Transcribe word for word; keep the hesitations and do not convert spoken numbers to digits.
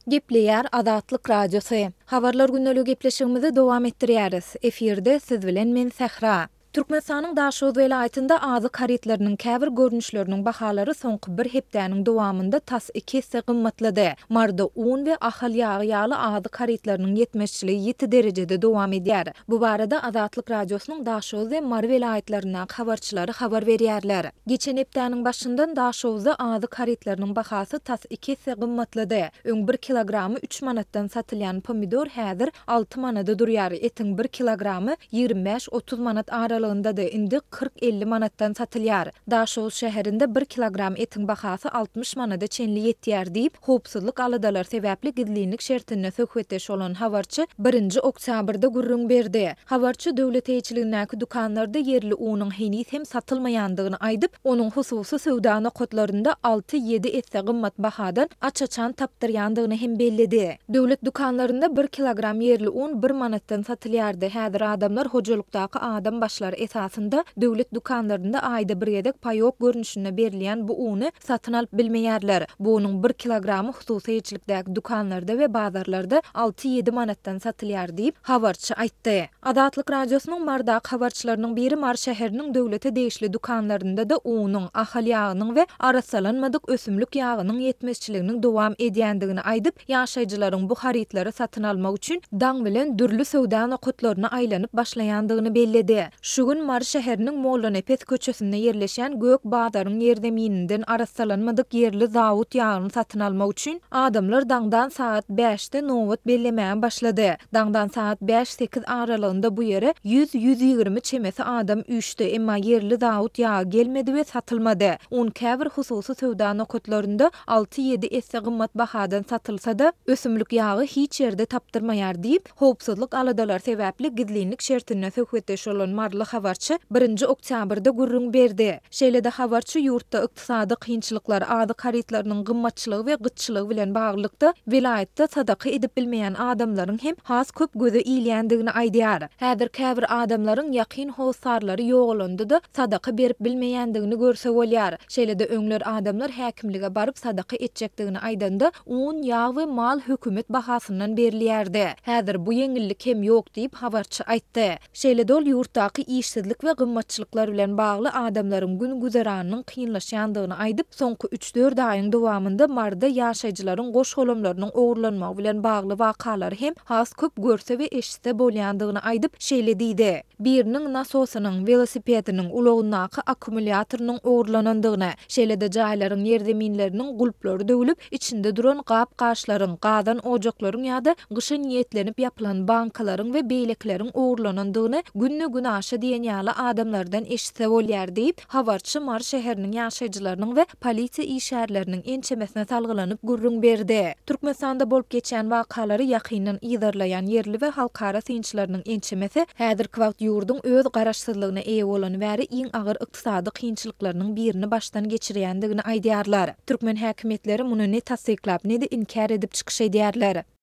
Gepleýär Azatlyk Radiosy. Habarlar gündeligi gepleşigimizi dowam etdirýäris. Efirde siz bilen men Sähra. Türkmenistanyň Daşoguz welaýatynda azyk harytlarynyň käbir görnüşleriniň bahalary soňky bir hepdäniň dowamynda tas iki esse gymmatlady. Maryda un we Ahal ýagy ýaly azyk harytlarynyň ýetmezçiligi ýiti derejede dowam edýär. Bu barada Azatlyk Radiosynyň Daşoguz we Mary welaýatlaryndaky habarçylary habar berýärler. Geçen hepdäniň başyndan Daşoguzda azyk harytlarynyň bahasy tas iki esse gymmatlady. Öň bir kilogramy üç manatdan satylýan pomidor häzir alty manada durýar, etiň bir kilogramy ýigrimi bäş-otuz manat aralygyndady, indi kyrk-elli manatdan satylýar. Daşoguz şäherinde bir kilogram etiň bahasy altmyş manada çenli ýetýär diýip, howpsuzlyk aladalary sebäpli gizlinlik şertinde söhbetdeş bolan habarçy birinji oktýabrda gürrüň berdi. Habarçy döwlet eýeçiligindäki dükanlarda ýerli unuň heniz hem satylmaýandygyny aýdyp, onuň hususy söwda nokatlarynda alty-ýedi esse gymmat bahadan aç-açan tapdyrýandygyny hem belledi. Döwlet dükanlarynda bir kilogram ýerli un bir manatdan satylýardy. Häzir adamlar hojalykdaky adam başlary esasynda döwlet dükanlarynda aýda bir gezek paýok görnüşinde berilýän bu uny satyn alyp bilmeýärler. Bu unuň bir kilogramy hususy eýeçilikdäki dükanlarda we bazarlarda alty-ýedi manatdan satylýar diýip, habarçy aýtdy. Azatlyk Radiosynyň Marydaky habarçylarynyň biri Mary şäheriniň döwlete degişli dükanlarynda-da unuň, Ahal ýagynyň we arassalanmadyk ösümlik ýagynyň ýetmezçiliginiň dowam edýändigini aýdyp, ýaşaýjylaryň bu harytlary satyn almak üçin daň bilen dürli söwda nokatlaryna aýlanyp başlaýandygyny belledi. Şu gün Mary şäheriniň Mollanepes köçesinde ýerleşýän Gök bazaryň ýerzemininden arassalanmadyk ýerli zawut ýagyny satyn almak üçin adamlar daňdan sagat bäşde nobat bellemäge başlady. Daňdan sagat bäş-sekiz aralygynda bu ýere ýüz-ýüz ýigrimi çemesi adam üýşdi, emma ýerli zawut ýagy gelmedi we satylmady. Un käbir hususy söwda nokatlarynda alty-ýedi esse gymmat bahadan satylsa-da, ösümlik ýagy hiç ýerde tapdyrmaýar diýip, howpsuzlyk aladalary sebäpli gizlinlik şertinde söhbetdeş bolan maryly habarçy birinji oktýabrda gürrüň berdi. Şeýle-de habarçy ýurtda ykdysady kynçylyklar, azyk harytlarynyň gymmatçylygy we gytçylygy bilen baglylykda welaýatda sadaka edip bilmeýän adamlaryň hem has köp göze ilýändigini aýdýar. Häzir käbir adamlaryň ýakyn hossarlary ýogalanda-da sadaka berip bilmeýändigini görse bolýar. Şeýle-de öňler adamlar häkimlige baryp sadaka etjekdigini aýdanda, un, ýag we mal hökümet bahasyndan berilýärdi. Häzir bu ýeňillik hem ýok diýip, habarçy aýtdy. Şeýle-de ol ýurtdaky işsizlik we gymmatçylyklar bilen bagly adamlaryň gün-güzeranynyň kynlaşýandygyny aýdyp, soňky üç-dört aýyň dowamynda Maryda ýaşaýjylaryň goş-golamlarynyň ogurlanmagy bilen bagly wakalary hem has köp görse we eşitse bolýandygyny aýdyp, şeýle diýdi, Biriniň nasosynyň, welosipediniň, ulagyndaky akkumulýatorynyň ogurlanandygyny, şeýle-de jaýlaryň ýerzeminleriniň gulplary döwlüp, içinde duran gap-gaçlaryň, gazan ojaklaryň ýa-da gyşa niýetlenip ýapylan bankalaryň we beýlekileriň ogurlanandygyny günde-günaşa diýen ýaly adamlardan eşitse bolýar diýip, habarçy Mary şäheriniň ýaşaýjylarynyň we polisiýa işgärleriniň ençemesine salgylanyp gürrüň berdi. Türkmenistanda bolup geçýän wakalary ýakyndan yzarlaýan ýerli we halkara synçylarynyň ençemesi häzirki wagt ýurduň öz garaşsyzlygyna eýe bolany bäri iň agyr ykdysady kynçylyklarynyň birini başdan geçirýändigini aýdýarlar. Türkmen häkimiýetleri muny ne tassyklap, ne-de inkär edip çykyş edýärler.